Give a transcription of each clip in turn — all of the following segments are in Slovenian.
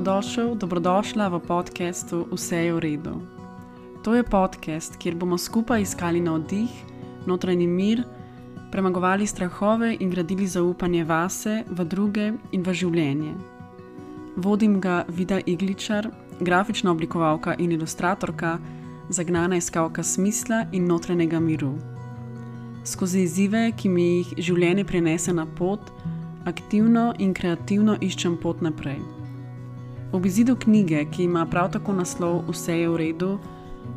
Dobrodošla v podcastu Vse je v redu. To je podcast, kjer bomo skupaj iskali navdih, notranji mir, premagovali strahove in gradili zaupanje vase, v druge in v življenje. Vodim ga Vida Igličar, grafična oblikovalka in ilustratorka, zagnana iskalka smisla in notranjega miru. Skozi izzive, ki mi jih življenje prinese na pot, aktivno in kreativno iščem pot naprej. Ob izidu knjige, ki ima prav tako naslov Vse je v redu,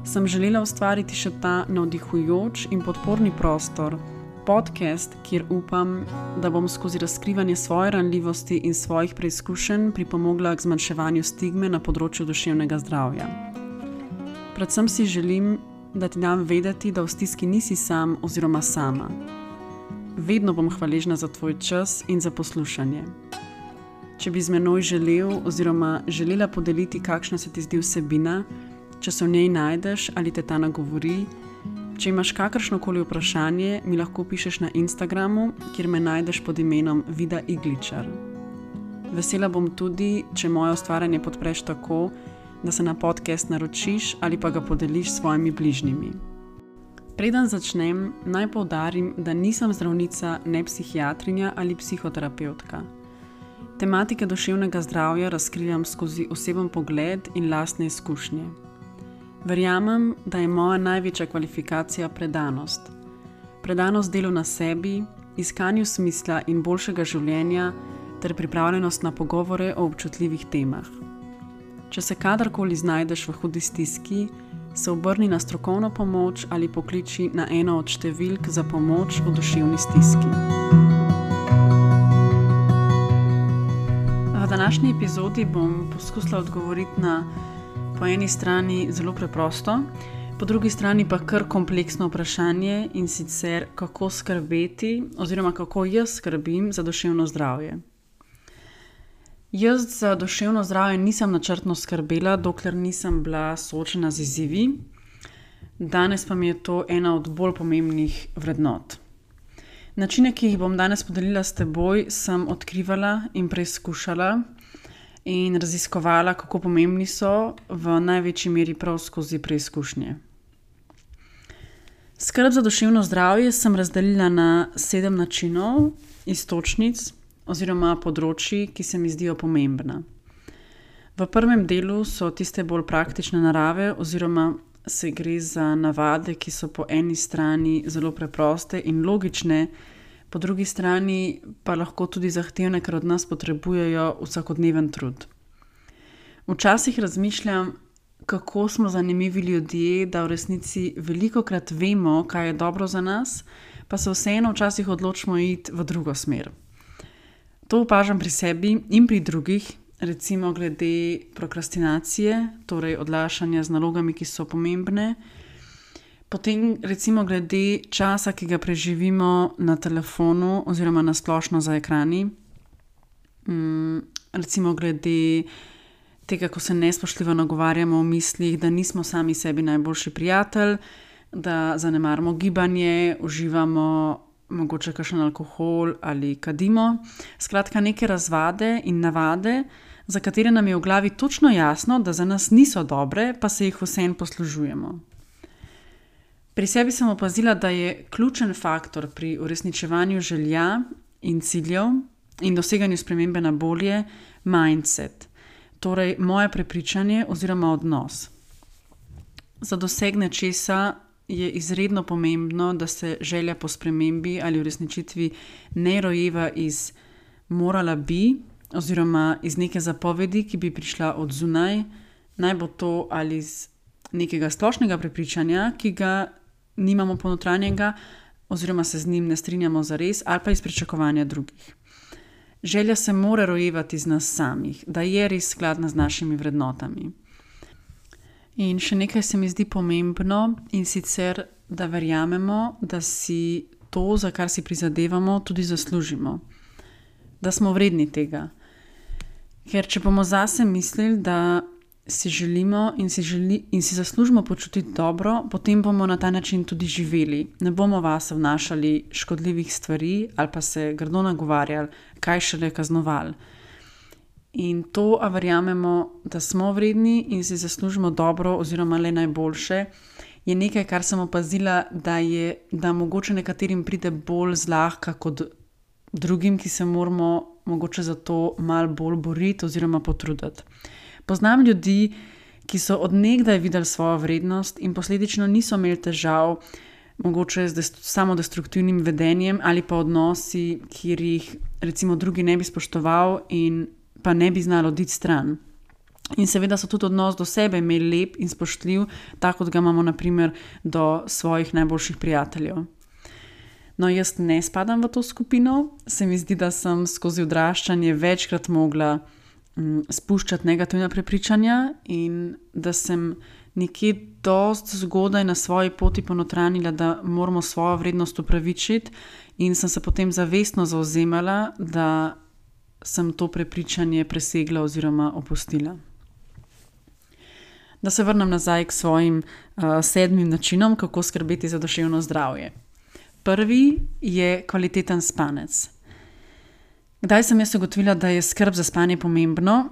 sem želela ustvariti še ta navdihujoč in podporni prostor, podcast, kjer upam, da bom skozi razkrivanje svoje ranljivosti in svojih preizkušenj pripomogla k zmanjševanju stigme na področju duševnega zdravja. Predvsem si želim, da ti dam vedeti, da v stiski nisi sam oziroma sama. Vedno bom hvaležna za tvoj čas in za poslušanje. Če bi z menoj želel oziroma želela podeliti, kakšna se ti zdi vsebina, če se v njej najdeš ali te ta nagovori, če imaš kakršnokoli vprašanje, mi lahko pišeš na Instagramu, kjer me najdeš pod imenom Vida Igličar. Vesela bom tudi, če moje ustvarjanje podpreš tako, da se na podcast naročiš ali pa ga podeliš s svojimi bližnjimi. Preden začnem, naj poudarim, da nisem zdravnica, ne psihiatrinja ali psihoterapevtka. Tematike duševnega zdravja razkrivam skozi oseben pogled in lastne izkušnje. Verjamem, da je moja največja kvalifikacija predanost. Predanost delu na sebi, iskanju smisla in boljšega življenja ter pripravljenost na pogovore o občutljivih temah. Če se kadarkoli znajdeš v hudi stiski, se obrni na strokovno pomoč ali pokliči na eno od številk za pomoč v duševni stiski. V današnji epizodi bom poskusila odgovoriti na po eni strani zelo preprosto, po drugi strani pa kar kompleksno vprašanje, in sicer kako skrbeti oziroma kako jaz skrbim za duševno zdravje. Jaz za duševno zdravje nisem načrtno skrbela, dokler nisem bila soočena z izzivi. Danes pa mi je to ena od bolj pomembnih vrednot. Načine, ki jih bom danes podelila s teboj, sem odkrivala in preizkušala in raziskovala, kako pomembni so, v največji meri prav skozi preizkušnje. Skrb za duševno zdravje sem razdelila na 7 načinov, iztočnic oziroma področji, ki se mi zdijo pomembna. V prvem delu so tiste bolj praktične narave oziroma se gre za navade, ki so po eni strani zelo preproste in logične, po drugi strani pa lahko tudi zahtevne, ker od nas potrebujejo vsakodneven trud. Včasih razmišljam, kako smo zanimivi ljudje, da v resnici velikokrat vemo, kaj je dobro za nas, pa se vseeno včasih odločimo iti v drugo smer. To opažam pri sebi in pri drugih, recimo glede prokrastinacije, torej odlašanja z nalogami, ki so pomembne, potem recimo glede časa, ki ga preživimo na telefonu oziroma na splošno za ekrani, recimo glede tega, ko se nespoštljivo nagovarjamo v mislih, da nismo sami sebi najboljši prijatelj, da zanemarimo gibanje, uživamo mogoče kakšen alkohol ali kadimo. Skratka, neke razvade in navade, za katere nam je v glavi točno jasno, da za nas niso dobre, pa se jih vseeno poslužujemo. Pri sebi sem opazila, da je ključen faktor pri uresničevanju želja in ciljev in doseganju spremembe na bolje mindset, torej moje prepričanje oziroma odnos. Za doseg nečesa je izredno pomembno, da se želja po spremembi ali uresničitvi ne rojeva iz morala bi oziroma iz neke zapovedi, ki bi prišla od zunaj, naj bo to ali iz nekega splošnega prepričanja, ki ga nimamo ponotranjega oziroma se z njim ne strinjamo zares, ali pa iz pričakovanja drugih. Želja se mora rojevati iz nas samih, da je res skladna z našimi vrednotami. In še nekaj se mi zdi pomembno, in sicer, da verjamemo, da si to, za kar si prizadevamo, tudi zaslužimo. Da smo vredni tega. Ker če bomo zase mislili, da si želimo in si zaslužimo počutiti dobro, potem bomo na ta način tudi živeli. Ne bomo vase vnašali škodljivih stvari ali pa se grdo nagovarjali, kaj šele kaznovali. In to, a verjamemo, da smo vredni in si zaslužimo dobro oziroma le najboljše, je nekaj, kar sem opazila, da mogoče nekaterim pride bolj zlahka kot drugim, ki se moramo mogoče za to malo bolj boriti oziroma potruditi. Poznam ljudi, ki so od nekdaj videli svojo vrednost in posledično niso imeli težav, mogoče z samodestruktivnim vedenjem ali pa odnosi, kjer jih recimo drugi ne bi spoštoval in pa ne bi znali oditi stran. In seveda so tudi odnos do sebe imeli lep in spoštljiv, tako kot ga imamo na primer do svojih najboljših prijateljev. No, jaz ne spadam v to skupino, se mi zdi, da sem skozi odraščanje večkrat mogla spuščati negativna prepričanja in da sem nekje dosti zgodaj na svoji poti ponotranila, da moramo svojo vrednost upravičiti in sem se potem zavestno zavzemala, da sem to prepričanje presegla oziroma opustila. Da se vrnem nazaj k svojim 7 načinom, kako skrbeti za duševno zdravje. Prvi je kvaliteten spanec. Kdaj sem jaz ugotovila, da je skrb za spanje pomembno?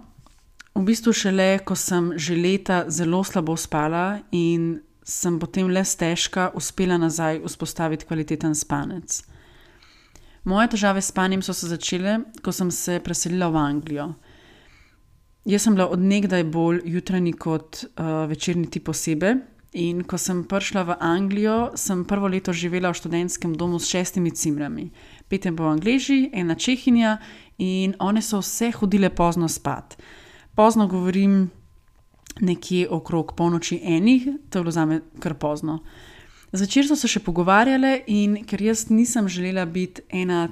V bistvu šele, ko sem že leta zelo slabo spala in sem potem le stežka uspela nazaj vzpostaviti kvaliteten spanec. Moje težave s spanjem so se začele, ko sem se preselila v Anglijo. Jaz sem bila od nekdaj bolj jutranji kot večerni tip osebe in ko sem prišla v Anglijo, sem prvo leto živela v študentskem domu s 6 cimrami. 5 je bilo Angleži, 1 Čehinja in one so vse hodile pozno spat. Pozno govorim nekje okrog polnoči 1, to je bilo zame kar pozno. Zvečer so se še pogovarjale in ker jaz nisem želela biti ena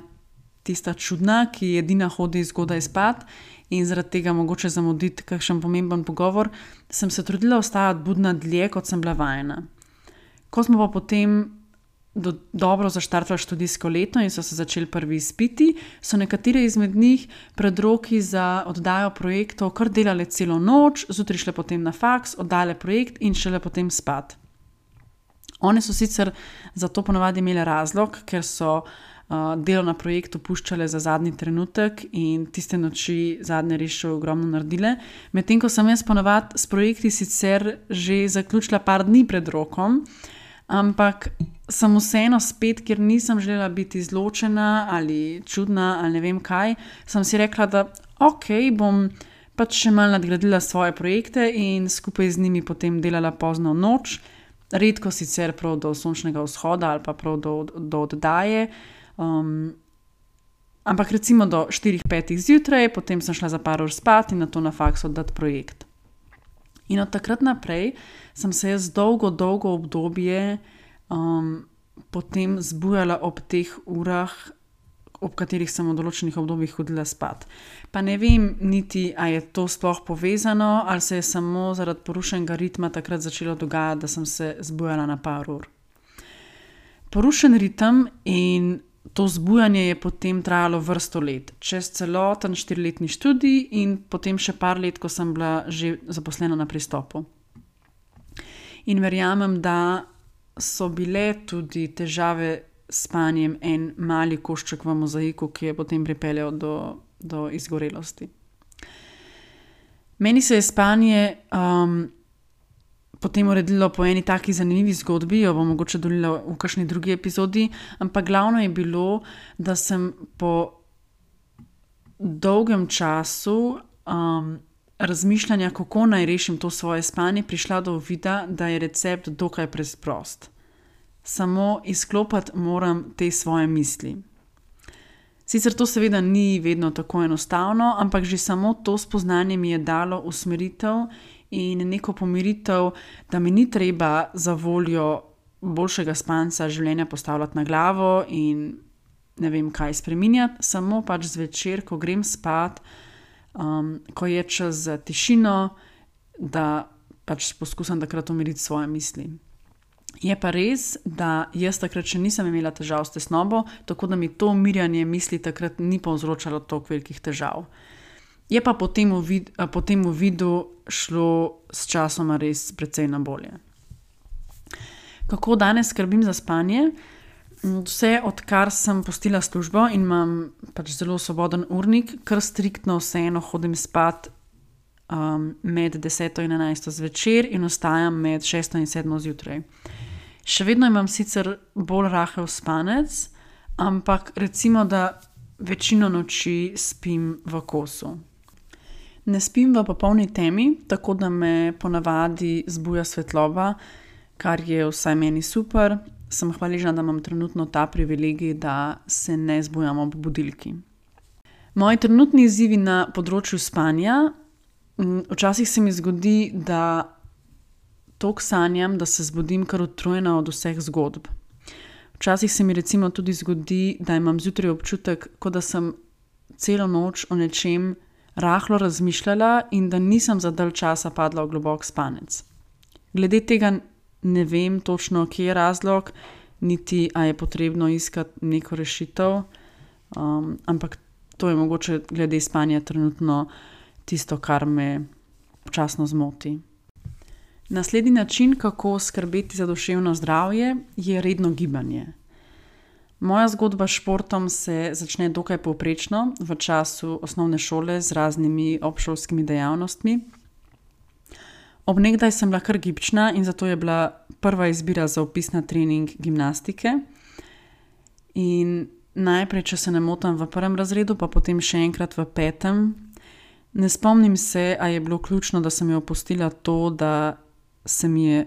tista čudna, ki edina hodi zgodaj spat in zaradi tega mogoče zamuditi kakšen pomemben pogovor, sem se trudila ostajati budna dlje, kot sem bila vajena. Ko smo pa potem dobro zaštartali študijsko leto in so se začeli prvi izpiti, so nekatere izmed njih pred roki za oddajo projektov kar delale celo noč, zjutraj šle potem na faks, oddale projekt in šele potem spat. One so sicer za to ponavadi imele razlog, ker so delo na projektu puščale za zadnji trenutek in tiste noči zadnje res še ogromno naredile, medtem ko sem jaz ponavadi s projekti sicer že zaključila par dni pred rokom, ampak sem vseeno spet, ker nisem želela biti izločena ali čudna ali ne vem kaj, sem si rekla, da bom pač še malo nadgradila svoje projekte in skupaj z njimi potem delala pozno noč, redko sicer prav do sončnega vzhoda ali pa prav do oddaje, ampak recimo do 4-5 zjutraj, potem sem šla za par ur spat in nato na faks oddati projekt. In od takrat naprej sem se jaz dolgo obdobje potem zbujala ob teh urah, ob katerih sem v določenih obdobjih hodila spat. Pa ne vem niti, a je to sploh povezano, ali se je samo zaradi porušenega ritma takrat začelo dogajati, da sem se zbujala na par ur. Porušen ritem in to zbujanje je potem trajalo vrsto let, čez celoten 4-letni študij in potem še par let, ko sem bila že zaposlena na Pristopu. In verjamem, da so bile tudi težave s spanjem en mali košček v mozaiku, ki je potem pripeljal do izgorelosti. Meni se je spanje potem uredilo po eni taki zanimivi zgodbi, jo bom mogoče delila v kakšni drugi epizodi, ampak glavno je bilo, da sem po dolgem času razmišljanja, kako naj rešim to svoje spanje, prišla do uvida, da je recept dokaj preprost. Samo izklopiti moram te svoje misli. Sicer to seveda ni vedno tako enostavno, ampak že samo to spoznanje mi je dalo usmeritev in neko pomiritev, da mi ni treba za voljo boljšega spanca življenja postavljati na glavo in ne vem kaj spreminjati, samo pač zvečer, ko grem spat, ko je čas za tišino, da pač poskušam takrat umiriti svoje misli. Je pa res, da jaz takrat še nisem imela težav s tesnobo, tako da mi to umirjanje misli takrat ni povzročalo toliko velikih težav. Je pa po tem uvidu šlo s časoma res precej na bolje. Kako danes skrbim za spanje? Vse, odkar sem pustila službo in imam pač zelo svoboden urnik, kar striktno vseeno hodim spat med 10 in 11 zvečer in ostajam med 6 in 7 zjutraj. Še vedno imam sicer bolj rahel spanec, ampak recimo, da večino noči spim v kosu. Ne spim v popolni temi, tako da me ponavadi zbuja svetloba, kar je vsaj meni super. Sem hvaležna, da imam trenutno ta privilegij, da se ne zbujam ob budilki. Moji trenutni izzivi na področju spanja, včasih se mi zgodi, da toliko sanjam, da se zbudim kar utrujena od vseh zgodb. Včasih se mi recimo tudi zgodi, da imam zjutraj občutek, kot da sem celo noč o nečem rahlo razmišljala in da nisem za dalj časa padla v globok spanec. Glede tega ne vem točno, kje je razlog, niti a je potrebno iskati neko rešitev, ampak to je mogoče glede spanja trenutno tisto, kar me občasno zmoti. Naslednji način, kako skrbeti za duševno zdravje, je redno gibanje. Moja zgodba s športom se začne dokaj povprečno v času osnovne šole z raznimi obšolskimi dejavnostmi. Ob nekdaj sem bila kar gibčna in zato je bila prva izbira za vpis na trening gimnastike. In najprej, če se ne motim, v 1. razredu, pa potem še enkrat v 5. Ne spomnim se, a je bilo ključno, da sem jo opustila to, da se mi je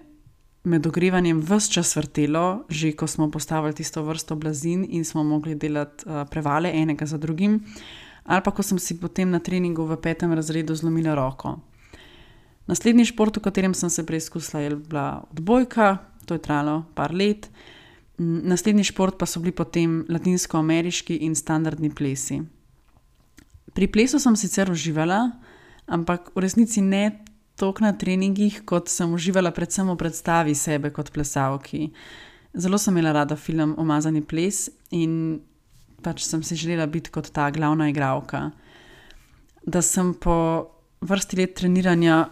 med ogrevanjem ves čas vrtelo, že ko smo postavili tisto vrsto blazin in smo mogli delati prevale enega za drugim, ali pa ko sem si potem na treningu v 5. razredu zlomila roko. Naslednji šport, v katerem sem se preizkusila, je bila odbojka, to je trajalo par let. Naslednji šport pa so bili potem latinskoameriški in standardni plesi. Pri plesu sem sicer uživala, ampak v resnici ne toliko na treningih, kot sem uživala predvsem v predstavi sebe kot plesalki. Zelo sem imela rada film Umazani ples in pač sem si želela biti kot ta glavna igralka. Da sem po vrsti let treniranja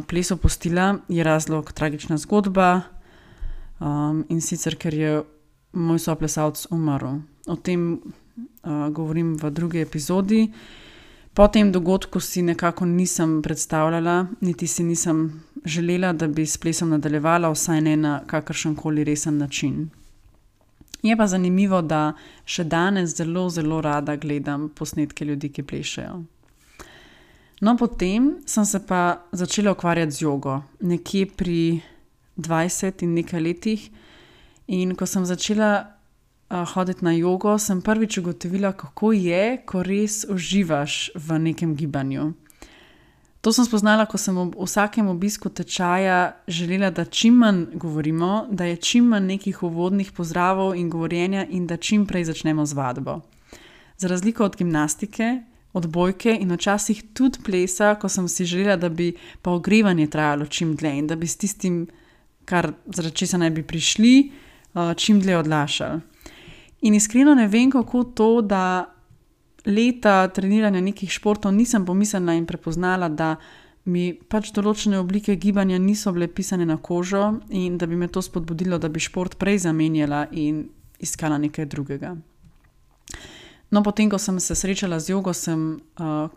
ples opustila, je razlog tragična zgodba, in sicer, ker je moj soplesalec umrl. O tem govorim v drugi epizodi. Po tem dogodku si nekako nisem predstavljala, niti si nisem želela, da bi s plesom nadaljevala, vsaj ne na kakršenkoli resen način. Je pa zanimivo, da še danes zelo, zelo rada gledam posnetke ljudi, ki plešejo. No, potem sem se pa začela ukvarjati z jogo, nekje pri 20 in nekaj letih. In ko sem začela hoditi na jogo, sem prvič ugotovila, kako je, ko res uživaš v nekem gibanju. To sem spoznala, ko sem ob vsakem obisku tečaja želela, da čim manj govorimo, da je čim manj nekih uvodnih pozdravov in govorjenja in da čim prej začnemo z vadbo. Za razliko od gimnastike, odbojke in včasih tudi plesa, ko sem si želela, da bi pa ogrevanje trajalo čim dlje in da bi s tistim, kar zaradi česa naj bi prišli, čim dlje odlašali. In iskreno ne vem, kako to, da leta treniranja nekih športov nisem pomislila in prepoznala, da mi pač določene oblike gibanja niso bile pisane na kožo in da bi me to spodbudilo, da bi šport prej zamenjala in iskala nekaj drugega. No, potem, ko sem se srečala z jogo, sem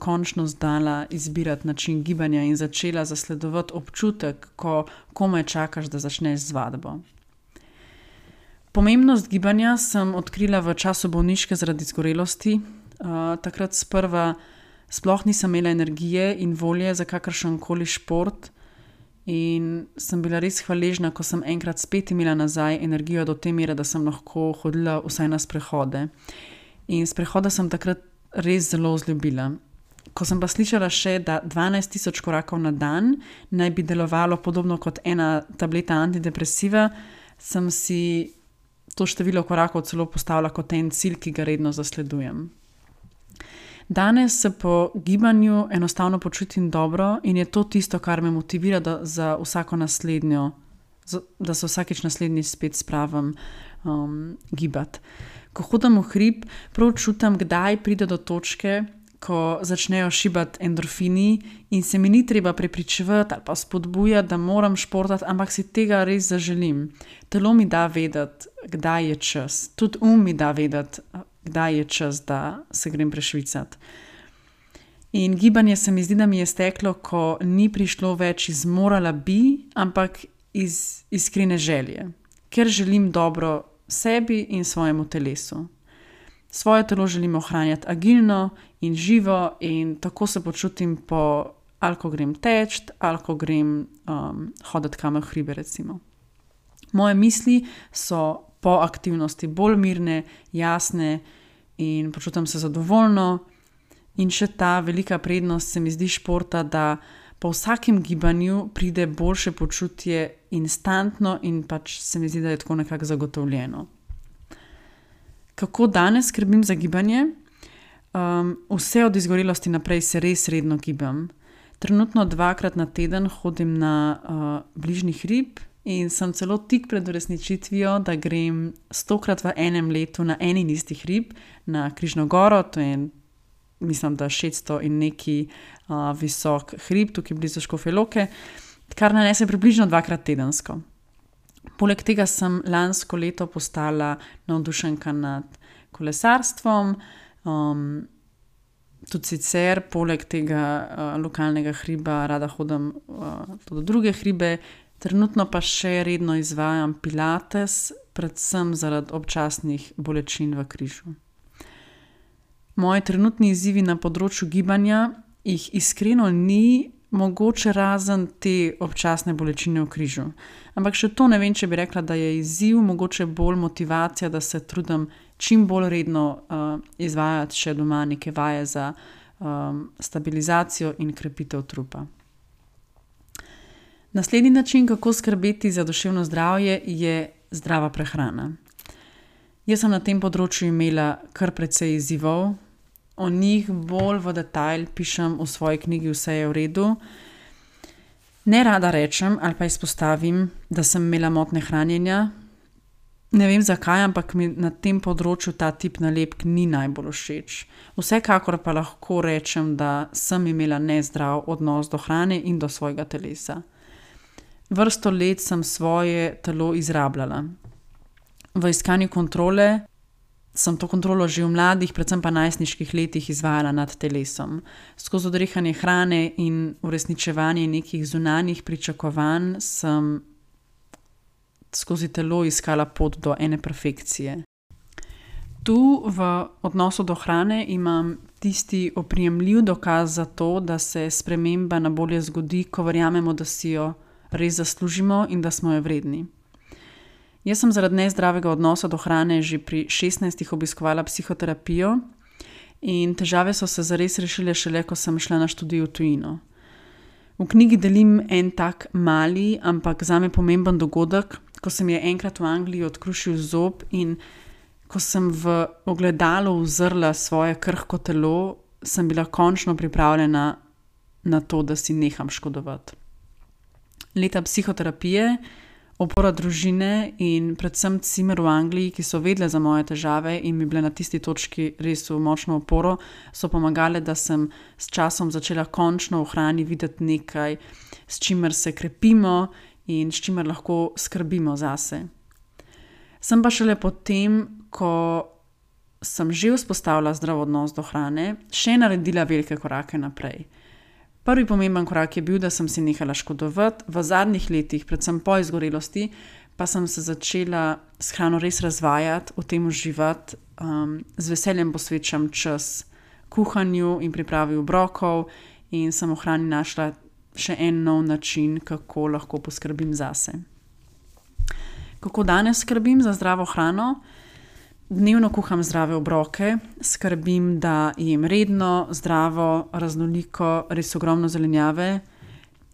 končno znala izbirati način gibanja in začela zasledovati občutek, ko komaj čakaš, da začneš z vadbo. Pomembnost gibanja sem odkrila v času bolniške zaradi zgorelosti. Takrat sprva sploh nisem imela energije in volje za kakršenkoli šport in sem bila res hvaležna, ko sem enkrat spet imela nazaj energijo do te mere, da sem lahko hodila vsaj na sprehode. In sprehoda sem takrat res zelo vzljubila. Ko sem pa slišala še, da 12.000 korakov na dan naj bi delovalo podobno kot ena tableta antidepresiva, sem si to število korakov celo postavila kot en cilj, ki ga redno zasledujem. Danes se po gibanju enostavno počutim dobro in je to tisto, kar me motivira, da za vsako naslednjo, da se vsakič naslednji spet spravim gibati. Ko hodim v hrib, prav čutim, kdaj pride do točke, ko začnejo šibati endorfini in se mi ni treba prepričevati ali pa spodbujati, da moram športati, ampak si tega res zaželim. Telo mi da vedeti, kdaj je čas. Tudi mi da vedeti, kdaj je čas, da se grem prešvicati. In gibanje se mi zdi, da mi je steklo, ko ni prišlo več iz morala bi, ampak iz iskrene želje, ker želim dobro sebi in svojemu telesu. Svoje telo želim ohranjati agilno in živo in tako se počutim ali ko grem teč, ali ko grem hoditi kam v hribe recimo. Moje misli so po aktivnosti bolj mirne, jasne in počutim se zadovoljno. In še ta velika prednost se mi zdi športa, da po vsakem gibanju pride boljše počutje instantno in pač se mi zdi, da je tako nekako zagotovljeno. Kako danes skrbim za gibanje? Vse od izgorelosti naprej se res redno gibam. Trenutno 2-krat na teden hodim na bližnji hrib in sem celo tik pred uresničitvijo, da grem 100-krat v enem letu na en in isti hrib, na Križno goro, to je mislim, da 600 in neki visok hrib, tukaj blizu Škofje Loke, kar nanese približno 2-krat tedensko. Poleg tega sem lansko leto postala navdušenka nad kolesarstvom, tudi sicer poleg tega lokalnega hriba rada hodim tudi druge hribe, trenutno pa še redno izvajam pilates, predvsem zaradi občasnih bolečin v križu. Moji trenutni izzivi na področju gibanja jih iskreno ni, mogoče razen te občasne bolečine v križu. Ampak še to ne vem, če bi rekla, da je izziv, mogoče bolj motivacija, da se trudim čim bolj redno izvajati še doma neke vaje za stabilizacijo in krepitev trupa. Naslednji način, kako skrbeti za duševno zdravje, je zdrava prehrana. Jaz sem na tem področju imela kar precej izzivov. O njih bolj v detajl pišem v svoji knjigi Vse je v redu. Ne rada rečem ali pa izpostavim, da sem imela motnje hranjenja. Ne vem zakaj, ampak mi na tem področju ta tip nalepk ni najbolj všeč. Vsekakor pa lahko rečem, da sem imela nezdrav odnos do hrane in do svojega telesa. Vrsto let sem svoje telo izrabljala. V iskanju kontrole sem to kontrolo že v mladih, predvsem pa najstniških letih izvajala nad telesom. Skozi odrehanje hrane in uresničevanje nekih zunanjih pričakovanj sem skozi telo iskala pot do ene perfekcije. Tu v odnosu do hrane imam tisti oprijemljiv dokaz za to, da se sprememba na bolje zgodi, ko verjamemo, da si jo res zaslužimo in da smo jo vredni. Jaz sem zaradi nezdravega odnosa do hrane že pri 16 obiskovala psihoterapijo in težave so se zares rešile šele, ko sem šla na študij v tujino. V knjigi delim en tak mali, ampak zame pomemben dogodek, ko se mi je enkrat v Angliji odkrušil zob in ko sem v ogledalu uzrla svoje krhko telo, sem bila končno pripravljena na to, da si neham škodovati. Leta psihoterapije, opora družine in predvsem cimer v Angliji, ki so vedle za moje težave in mi bile na tisti točki res v močno oporo, so pomagale, da sem s časom začela končno v hrani videti nekaj, s čimer se krepimo in s čimer lahko skrbimo zase. Sem pa šele potem, ko sem že vzpostavila zdrav odnos do hrane, še naredila velike korake naprej. Prvi pomemben korak je bil, da sem si nehala škodovati. V zadnjih letih, predvsem po izgorelosti, pa sem se začela s hrano res razvajati, v tem uživati. Z veseljem posvečam čas kuhanju in pripravi obrokov in sem v hrani našla še en nov način, kako lahko poskrbim zase. Kako danes skrbim za zdravo hrano? Dnevno kuham zdrave obroke, skrbim, da jem redno, zdravo, raznoliko, res ogromno zelenjave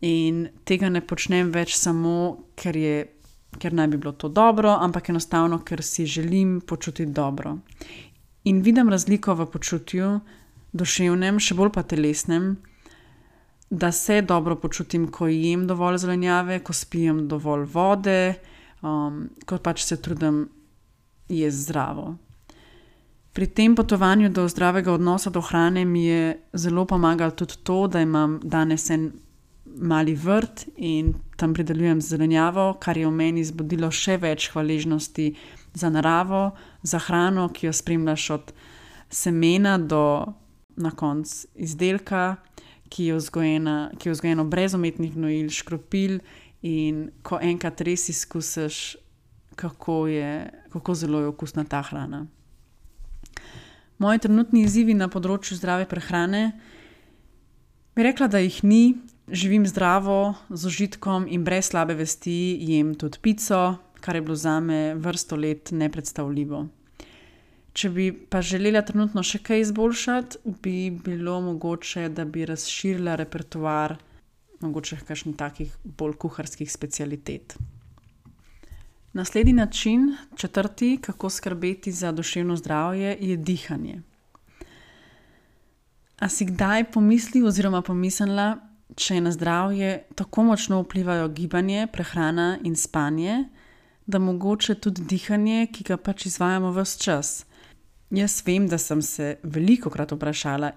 in tega ne počnem več samo, ker naj bi bilo to dobro, ampak enostavno, ker si želim počutiti dobro. In vidim razliko v počutju, duševnem, še bolj pa telesnem, da se dobro počutim, ko jem dovolj zelenjave, ko spijem dovolj vode, ko pač se trudim jesti zdravo. Pri tem potovanju do zdravega odnosa do hrane mi je zelo pomagalo tudi to, da imam danes en mali vrt in tam pridelujem zelenjavo, kar je v meni zbudilo še več hvaležnosti za naravo, za hrano, ki jo spremljaš od semena do na koncu izdelka, ki je vzgojeno brez umetnih gnojil, škropil, in ko enkrat res izkusiš, kako zelo je okusna ta hrana. Moji trenutni izzivi na področju zdrave prehrane, bi rekla, da jih ni. Živim zdravo, z užitkom in brez slabe vesti, jem tudi pico, kar je bilo zame vrsto let nepredstavljivo. Če bi pa želela trenutno še kaj izboljšati, bi bilo mogoče, da bi razširila repertoar mogoče kakšnih takih bolj kuharskih specialitet. Naslednji način, 4., kako skrbeti za duševno zdravje, je dihanje. A si kdaj pomislil oziroma pomislila, če na zdravje tako močno vplivajo gibanje, prehrana in spanje, da mogoče tudi dihanje, ki ga pač izvajamo ves čas? Jaz vem, da sem se velikokrat vprašala,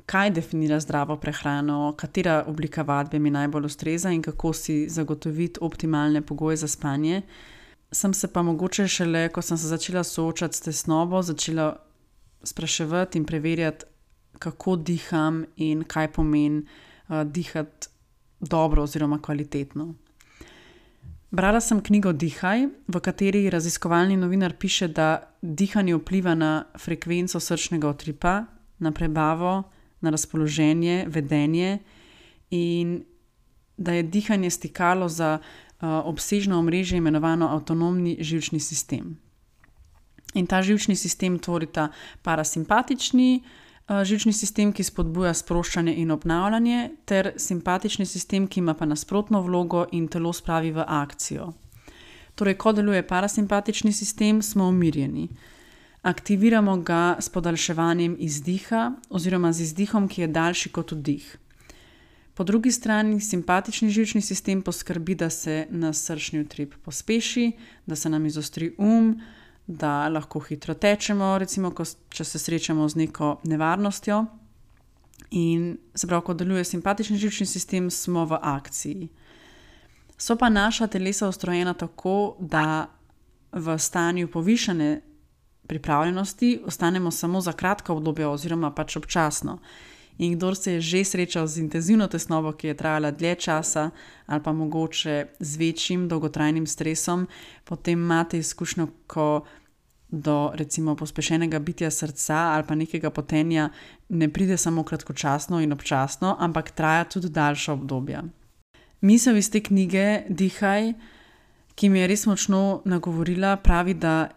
kaj definira zdravo prehrano, katera oblika vadbe mi najbolj ustreza in kako si zagotoviti optimalne pogoje za spanje. Sem se pa mogoče šele, ko sem se začela soočati s tesnobo, začela spraševati in preverjati, kako diham in kaj pomeni dihati dobro oziroma kvalitetno. Brala sem knjigo Dihaj, v kateri raziskovalni novinar piše, da dihanje vpliva na frekvenco srčnega utripa, na prebavo, na razpoloženje, vedenje in da je dihanje stikalo za obsežno omrežje imenovano avtonomni živčni sistem. In ta živčni sistem tvorita parasimpatični živčni sistem, ki spodbuja sproščanje in obnavljanje, ter simpatični sistem, ki ima pa nasprotno vlogo in telo spravi v akcijo. Torej, ko deluje parasimpatični sistem, smo umirjeni. Aktiviramo ga s podaljševanjem izdiha oziroma z izdihom, ki je daljši kot vdih. Po drugi strani simpatični živčni sistem poskrbi, da se nas srčni utrip pospeši, da se nam izostri da lahko hitro tečemo, recimo, če se srečamo z neko nevarnostjo. In se pravi, ko deluje simpatični živčni sistem, smo v akciji. So pa naša telesa ustrojena tako, da v stanju povišane pripravljenosti ostanemo samo za kratko obdobje oziroma pač občasno. In kdor se je že srečal z intenzivno tesnobo, ki je trajala dlje časa ali pa mogoče z večjim dolgotrajnim stresom, potem imate izkušnjo, ko do recimo pospešenega bitja srca ali pa nekega potenja ne pride samo kratkočasno in občasno, ampak traja tudi daljša obdobja. Misel iz te knjige Dihaj, ki mi je res močno nagovorila, pravi, da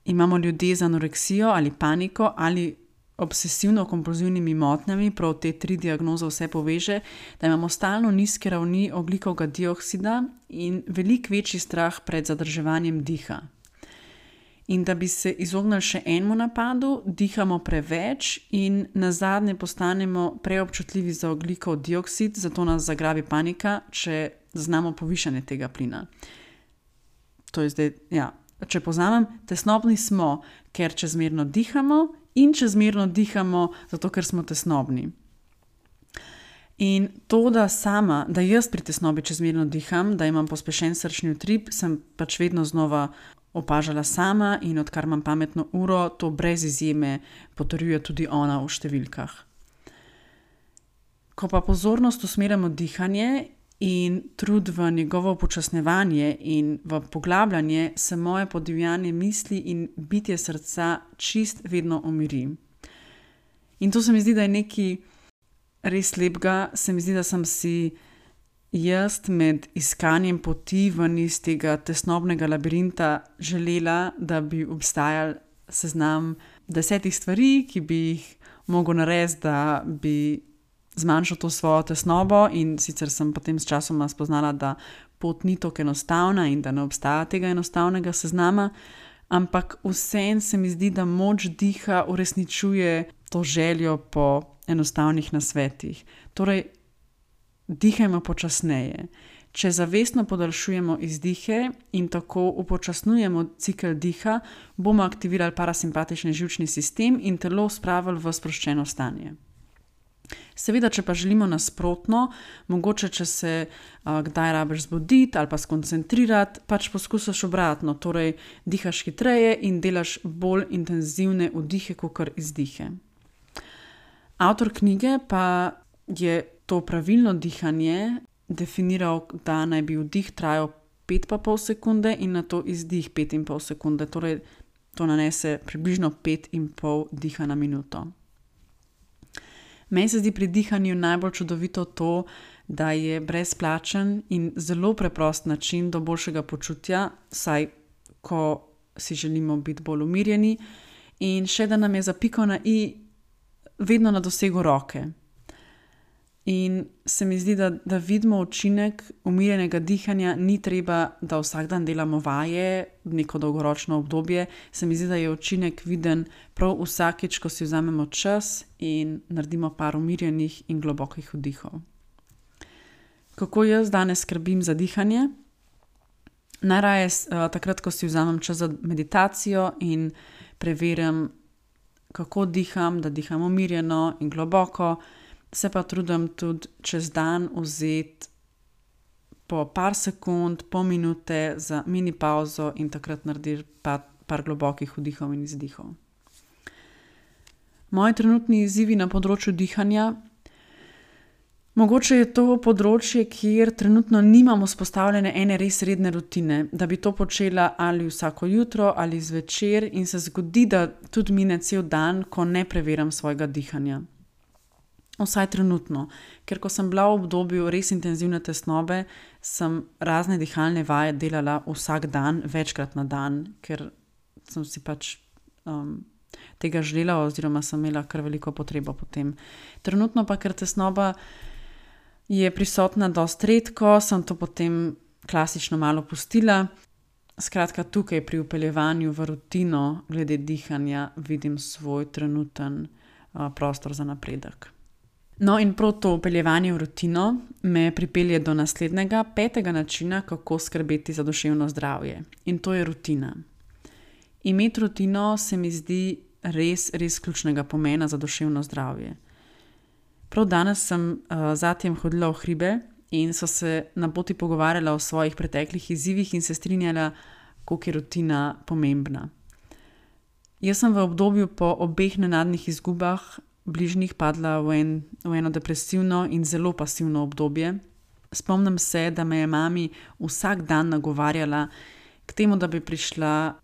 imamo ljudje z anoreksijo ali paniko ali obsesivno-kompulzivnimi motnjami, prav te 3 diagnoze vse poveže, da imamo stalno nizke ravni ogljikovega dioksida in veliko večji strah pred zadrževanjem diha. In da bi se izognili še enemu napadu, dihamo preveč in nazadnje postanemo preobčutljivi za ogljikov dioksid, zato nas zagrabi panika, če zaznamo povišanje tega plina. To je zdaj, če povzamem, tesnobni smo, ker čezmerno dihamo in čezmerno dihamo, zato ker smo tesnobni. In to, da jaz pri tesnobi čezmerno diham, da imam pospešen srčni utrip, sem pač vedno znova opažala sama in odkar imam pametno uro, to brez izjeme potrjuje tudi ona v številkah. Ko pa pozornost usmerjamo dihanje in trud v njegovo upočasnjevanje in v poglabljanje, se moje podivjanje misli in bitje srca čist vedno umiri. In to se mi zdi, da je nekaj res lepega. Se mi zdi, da sem si jaz med iskanjem poti ven iz tega tesnobnega labirinta želela, da bi obstajal seznam 10 stvari, ki bi jih mogel narediti, da bi zmanjšal to svojo tesnobo, in sicer sem potem s časoma spoznala, da pot ni tako enostavna in da ne obstaja tega enostavnega seznama, ampak vseeno se mi zdi, da moč diha uresničuje to željo po enostavnih nasvetih. Torej, dihajmo počasneje. Če zavestno podaljšujemo izdihe in tako upočasnjujemo cikel diha, bomo aktivirali parasimpatični živčni sistem in telo spravili v sproščeno stanje. Seveda, če pa želimo nasprotno, mogoče če se kdaj rabiš zbuditi ali pa skoncentrirati, pač poskusiš obratno, torej dihaš hitreje in delaš bolj intenzivne vdihe kakor izdihe. Avtor knjige pa je to pravilno dihanje definiral, da naj bi vdih trajal 5,5 sekunde in nato izdih 5,5 sekunde, torej to nanese približno 5,5 diha na minuto. Meni se zdi pri dihanju najbolj čudovito to, da je brezplačen in zelo preprost način do boljšega počutja, saj ko si želimo biti bolj umirjeni, in še da nam je za piko na i vedno na dosegu roke. In se mi zdi, da vidimo učinek umirjenega dihanja, ni treba, da vsak dan delamo vaje, neko dolgoročno obdobje. Se mi zdi, da je učinek viden prav vsakič, ko si vzamemo čas in naredimo par umirjenih in globokih vdihov. Kako jaz danes skrbim za dihanje? Najraje takrat, ko si vzamem čas za meditacijo in preverim, kako diham, da diham umirjeno in globoko. Se pa trudim tudi čez dan vzeti po par sekund, pol minute za mini pauzo in takrat narediti par globokih vdihov in izdihov. Moji trenutni izzivi na področju dihanja. Mogoče je to področje, kjer trenutno nimam vzpostavljene ene res redne rutine, da bi to počela ali vsako jutro ali zvečer, in se zgodi, da tudi mine cel dan, ko ne preverjam svojega dihanja. Vsaj trenutno, ker ko sem bila v obdobju res intenzivne tesnobe, sem razne dihalne vaje delala vsak dan, večkrat na dan, ker sem si pač tega želela oziroma sem imela kar veliko potrebo po tem. Trenutno pa, ker tesnoba je prisotna dosti redko, sem to potem klasično malo pustila. Skratka, tukaj pri vpeljevanju v rutino glede dihanja vidim svoj trenuten prostor za napredek. No, in prav to vpeljevanje v rutino me pripelje do naslednjega, 5. načina, kako skrbeti za duševno zdravje. In to je rutina. Imeti rutino se mi zdi res ključnega pomena za duševno zdravje. Prav danes sem zatem hodila v hribe in so se na poti pogovarjala o svojih preteklih izzivih in se strinjala, koliko je rutina pomembna. Jaz sem v obdobju po obeh nenadnih izgubah bližnjih padla v eno depresivno in zelo pasivno obdobje. Spomnim se, da me je mami vsak dan nagovarjala k temu, da bi prišla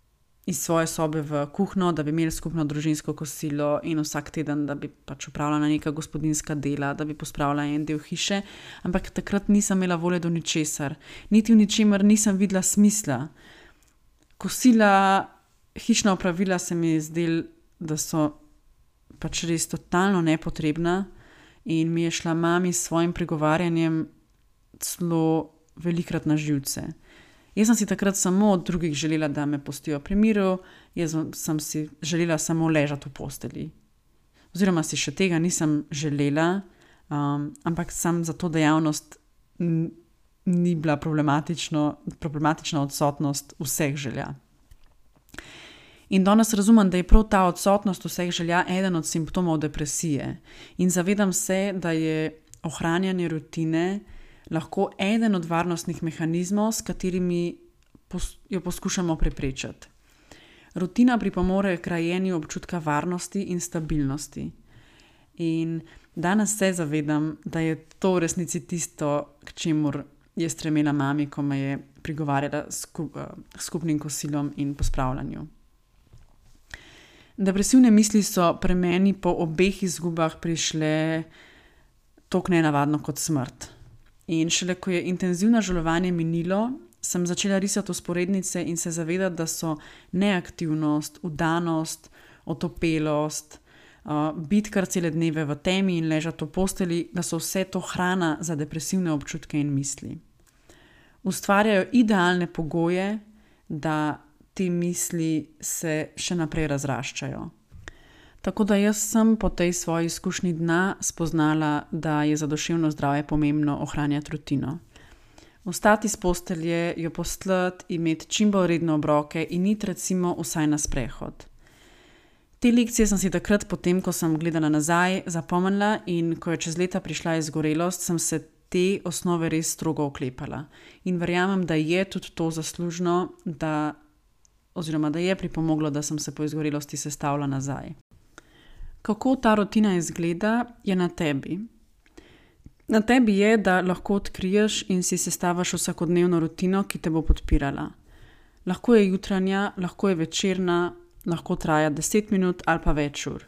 iz svoje sobe v kuhinjo, da bi imeli skupno družinsko kosilo in vsak teden, da bi pač opravljala neka gospodinjska dela, da bi pospravila en del hiše, ampak takrat nisem imela volje do ničesar. Niti v ničemer nisem videla smisla. Kosila, hišna opravila se mi je zdelo, da so pač res totalno nepotrebna, in mi je šla mami s svojim pregovarjanjem celo velikrat na živce. Jaz sem si takrat samo od drugih želela, da me pustijo pri miru, jaz sem si želela samo ležati v postelji. Oziroma si še tega nisem želela, ampak sam za to dejavnost ni bila problematična odsotnost vseh želja. In danes razumem, da je prav ta odsotnost vseh želja eden od simptomov depresije. In zavedam se, da je ohranjanje rutine lahko eden od varnostnih mehanizmov, s katerimi jo poskušamo preprečiti. Rutina pripomore k grajenju občutka varnosti in stabilnosti. In danes se zavedam, da je to v resnici tisto, k čemur je stremela mami, ko me je prigovarjala skupnim kosilom in pospravljanju. Depresivne misli so pri meni po obeh izgubah prišle toliko nenavadno kot smrt. In šele ko je intenzivno žalovanje minilo, sem začela risati vzporednice in se zavedati, da so neaktivnost, vdanost, otopelost, biti kar cele dneve v temi in ležati v postelji, da so vse to hrana za depresivne občutke in misli. Ustvarjajo idealne pogoje, da te misli se še naprej razraščajo. Tako da jaz sem po tej svoji izkušnji dna spoznala, da je za duševno zdravje pomembno ohranjati rutino. Vstati iz postelje, jo postlati, imeti čim bolj redne obroke in iti recimo vsaj na sprehod. Te lekcije sem si takrat, potem ko sem gledala nazaj, zapomnila, in ko je čez leta prišla izgorelost, sem se te osnove res strogo oklepala. In verjamem, da je tudi to zaslužno, oziroma da je pripomoglo, da sem se po izgorelosti sestavila nazaj. Kako ta rutina izgleda, je na tebi. Na tebi je, da lahko odkriješ in si sestaviš vsakodnevno rutino, ki te bo podpirala. Lahko je jutranja, lahko je večerna, lahko traja 10 minut ali pa več ur.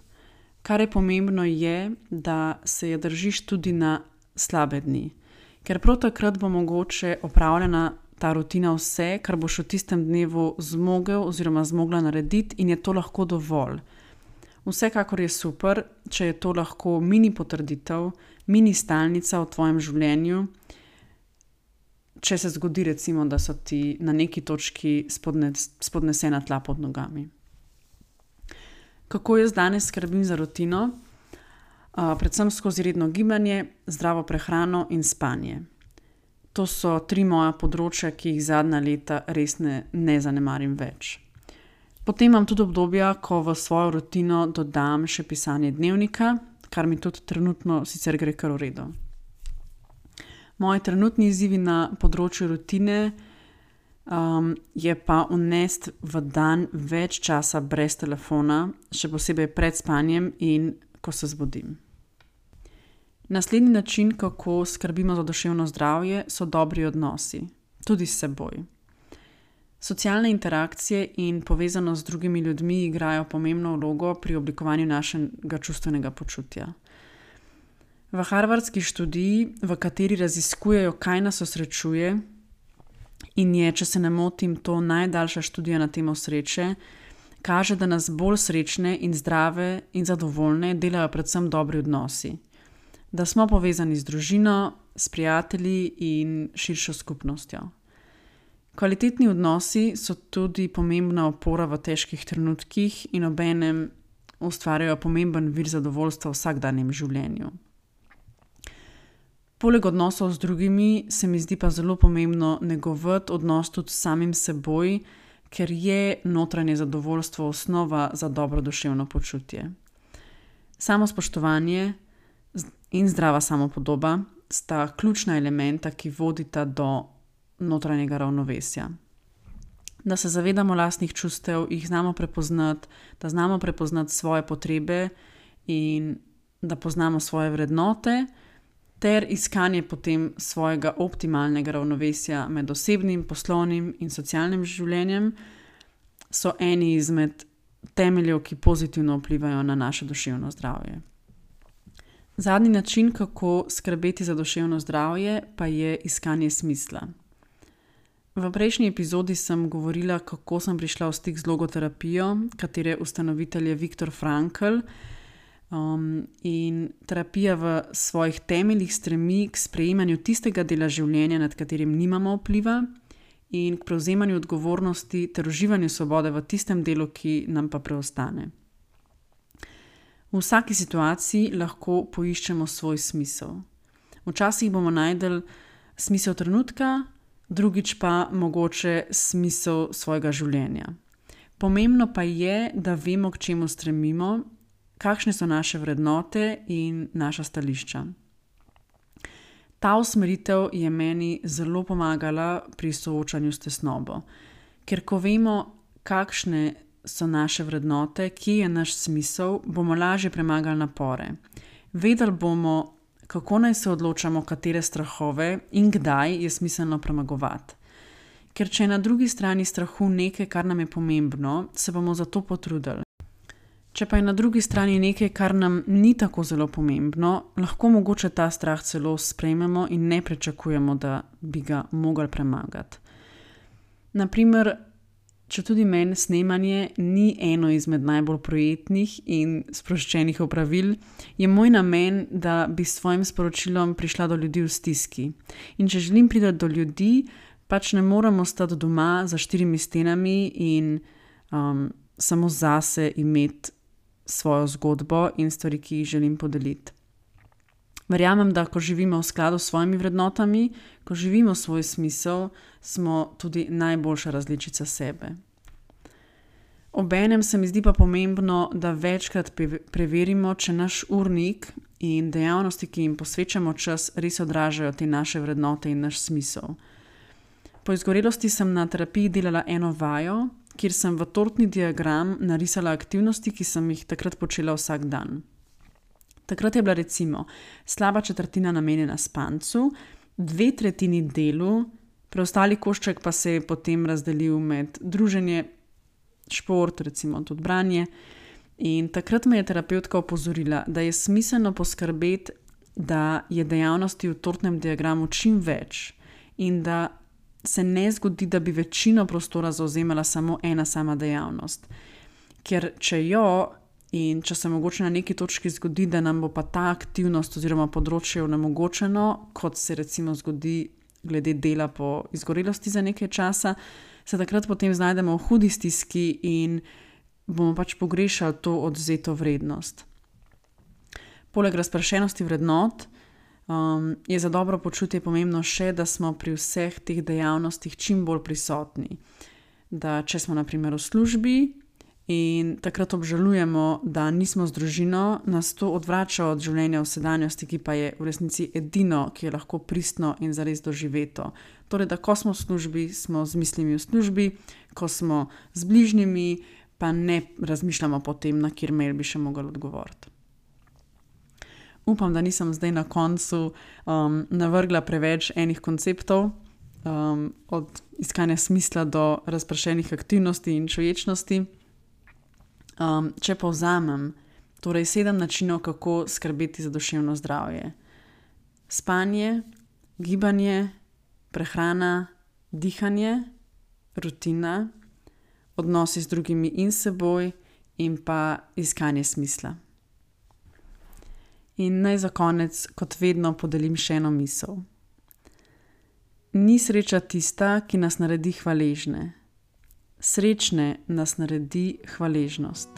Kar je pomembno je, da se je držiš tudi na slabe dni. Ker prav takrat bo mogoče opravljena ta rutina vse, kar boš v tistem dnevu zmogel oziroma zmogla narediti, in je to lahko dovolj. Vsekakor je super, če je to lahko mini potrditev, mini stalnica v tvojem življenju, če se zgodi recimo, da so ti na neki točki spodnesena tla pod nogami. Kako jaz danes skrbim za rutino? Predvsem skozi redno gibanje, zdravo prehrano in spanje. To so 3 moja področja, ki jih zadnja leta res ne zanemarim več. Potem imam tudi obdobja, ko v svojo rutino dodam še pisanje dnevnika, kar mi tudi trenutno sicer gre kar v redu. Moji trenutni izzivi na področju rutine je pa vnesti v dan več časa brez telefona, še posebej pred spanjem in ko se zbudim. Naslednji način, kako skrbimo za duševno zdravje, so dobri odnosi, tudi s seboj. Socialne interakcije in povezanost z drugimi ljudmi igrajo pomembno vlogo pri oblikovanju našega čustvenega počutja. V harvardski študiji, v kateri raziskujejo, kaj nas osrečuje, in je, če se ne motim, to najdaljša študija na temo sreče, kaže, da nas bolj srečne in zdrave in zadovoljne delajo predvsem dobri odnosi. Da smo povezani z družino, s prijatelji in širšo skupnostjo. Kvalitetni odnosi so tudi pomembna opora v težkih trenutkih in obenem ustvarjajo pomemben vir zadovoljstva v vsakdanjem življenju. Poleg odnosov z drugimi se mi zdi pa zelo pomembno negovati odnos tudi s samim seboj, ker je notranje zadovoljstvo osnova za dobro duševno počutje. Samospoštovanje in zdrava samopodoba sta ključna elementa, ki vodita do notranjega ravnovesja. Da se zavedamo lastnih čustev, jih znamo prepoznati, da znamo prepoznati svoje potrebe in da poznamo svoje vrednote, ter iskanje potem svojega optimalnega ravnovesja med osebnim, poslovnim in socialnim življenjem, so eni izmed temeljev, ki pozitivno vplivajo na naše duševno zdravje. Zadnji način, kako skrbeti za duševno zdravje, pa je iskanje smisla. V prejšnji epizodi sem govorila, kako sem prišla v stik z logoterapijo, katere ustanovitelj je Viktor Frankl, in terapija v svojih temeljih stremi k sprejemanju tistega dela življenja, nad katerim nimamo vpliva, in k prevzemanju odgovornosti ter uživanju svobode v tistem delu, ki nam pa preostane. V vsaki situaciji lahko poiščemo svoj smisel. Včasih bomo našli smisel trenutka, drugič pa mogoče smisel svojega življenja. Pomembno pa je, da vemo, k čemu stremimo, kakšne so naše vrednote in naša stališča. Ta usmeritev je meni zelo pomagala pri soočanju s tesnobo, ker ko vemo, kakšne so naše vrednote, kje je naš smisel, bomo lažje premagali napore. Vedeli bomo, kako naj se odločamo, katere strahove in kdaj je smiselno premagovati. Ker če je na drugi strani strahu nekaj, kar nam je pomembno, se bomo za to potrudili. Če pa je na drugi strani nekaj, kar nam ni tako zelo pomembno, lahko mogoče ta strah celo sprejmemo in ne pričakujemo, da bi ga mogli premagati. Naprimer, če tudi meni snemanje ni eno izmed najbolj prijetnih in sproščenih opravil, je moj namen, da bi s svojim sporočilom prišla do ljudi v stiski. In če želim priti do ljudi, pač ne moremo stati doma za 4 stenami in samo zase imeti svojo zgodbo in stvari, ki jih želim podeliti. Verjamem, da ko živimo v skladu s svojimi vrednotami, ko živimo svoj smisel, smo tudi najboljša različica sebe. Obenem se mi zdi pa pomembno, da večkrat preverimo, če naš urnik in dejavnosti, ki jim posvečamo čas, res odražajo te naše vrednote in naš smisel. Po izgorelosti sem na terapiji delala eno vajo, kjer sem v tortni diagram narisala aktivnosti, ki sem jih takrat počela vsak dan. Takrat je bila recimo slaba četrtina namenjena spancu, 2/3 delu, preostali košček pa se je potem razdelil med druženje, šport, recimo tudi branje. In takrat me je terapevtka opozorila, da je smiselno poskrbeti, da je dejavnosti v tortnem diagramu čim več in da se ne zgodi, da bi večino prostora zauzemala samo ena sama dejavnost. Ker če jo in če se mogoče na neki točki zgodi, da nam bo pa ta aktivnost oziroma področje onemogočeno, kot se recimo zgodi glede dela po izgorelosti za nekaj časa, se takrat potem znajdemo v hudi stiski in bomo pač pogrešali to odvzeto vrednost. Poleg razpršenosti vrednot je za dobro počutje pomembno še, da smo pri vseh teh dejavnostih čim bolj prisotni. Da če smo na primer v službi in takrat obžalujemo, da nismo z družino, nas to odvrača od življenja v sedanjosti, ki pa je v resnici edino, ki je lahko pristno in zares doživeto. Torej, da ko smo v službi, smo z mislimi v službi, ko smo z bližnjimi, pa ne razmišljamo po tem, na kjer mail bi še mogli odgovoriti. Upam, da nisem zdaj na koncu navrgla preveč enih konceptov, od iskanja smisla do razpršenih aktivnosti in čuječnosti. Če povzamem, torej 7 načinov, kako skrbeti za duševno zdravje. Spanje, gibanje, prehrana, dihanje, rutina, odnosi z drugimi in seboj in pa iskanje smisla. In naj za konec, kot vedno, podelim še eno misel. Ni sreča tista, ki nas naredi hvaležne. Srečne nas naredi hvaležnost.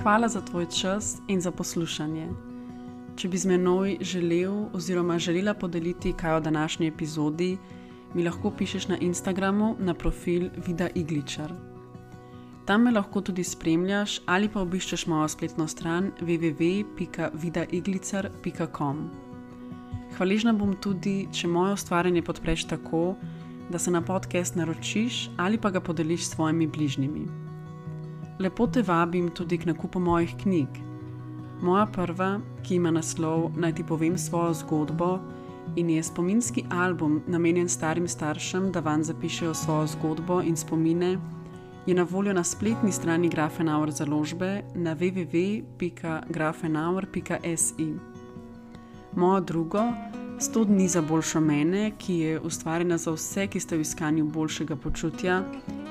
Hvala za tvoj čas in za poslušanje. Če bi z menoj želel oziroma želela podeliti kaj o današnji epizodi, mi lahko pišeš na Instagramu na profil Vida Igličar. Tam me lahko tudi spremljaš ali pa obiščeš mojo spletno stran www.vidaiglicar.com. Hvaležna bom tudi, če moje ustvarjanje podpreš tako, da se na podcast naročiš ali pa ga podeliš s svojimi bližnjimi. Lepo te vabim tudi k nakupu mojih knjig. Moja prva, ki ima naslov Naj ti povem svojo zgodbo in je spominski album namenjen starim staršem, da vanj zapišejo svojo zgodbo in spomine, je na voljo na spletni strani Grafenauer založbe na www.grafenauer.si. Mojo drugo, 100 dni za boljšo mene, ki je ustvarjena za vse, ki ste v iskanju boljšega počutja,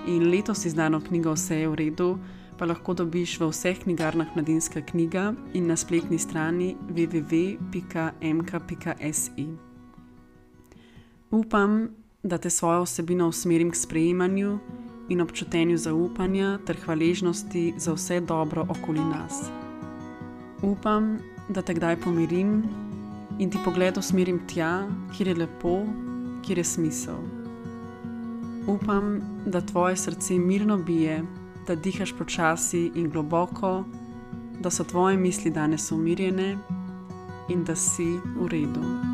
in letos izdano knjigo Vse je v redu, pa lahko dobiš v vseh knjigarnah Mladinska knjiga in na spletni strani www.mk.si. Upam, da te svojo vsebino usmerim k sprejemanju in občutenju zaupanja ter hvaležnosti za vse dobro okoli nas. Upam, da te kdaj pomirim in ti pogled usmerim tja, kjer je lepo, kjer je smisel. Upam, da tvoje srce mirno bije, da dihaš počasi in globoko, da so tvoje misli danes umirjene in da si v redu.